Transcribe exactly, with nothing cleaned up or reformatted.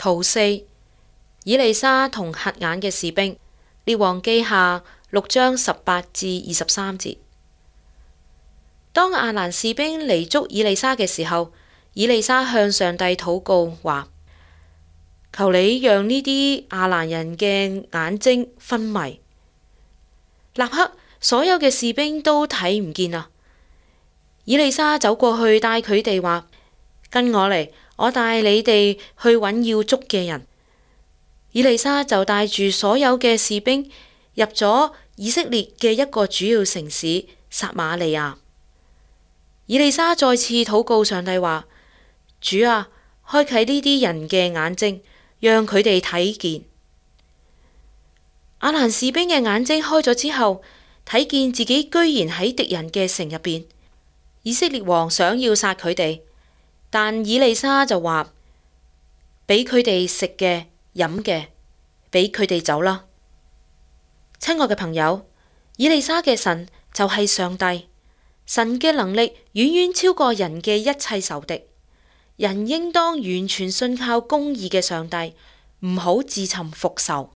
圖四，以利沙同瞎眼嘅士兵，列王記下六章十八至二十三節。當亞蘭士兵嚟捉以利沙嘅時候，以利沙向上帝禱告話：求你讓呢啲亞蘭人嘅眼睛昏迷。立刻所有嘅士兵都睇唔見啦。以利沙走過去帶佢哋話：跟我嚟，我帶你哋去揾要捉嘅人。以利沙就帶住所有嘅士兵入咗以色列嘅一個主要城市撒瑪利亞。以利沙再次禱告上帝話：主啊，開啟呢啲人嘅眼睛，讓佢哋睇見。亞蘭士兵嘅眼睛開咗之後，睇見自己居然喺敵人嘅城入邊。以色列王想要殺佢哋，但以利沙就話：俾佢哋食嘅、飲嘅，俾佢哋走啦。親愛嘅朋友，以利沙嘅神就係上帝，神嘅能力遠遠超過人嘅一切仇敵。人應當完全信靠公義嘅上帝，唔好自尋復仇。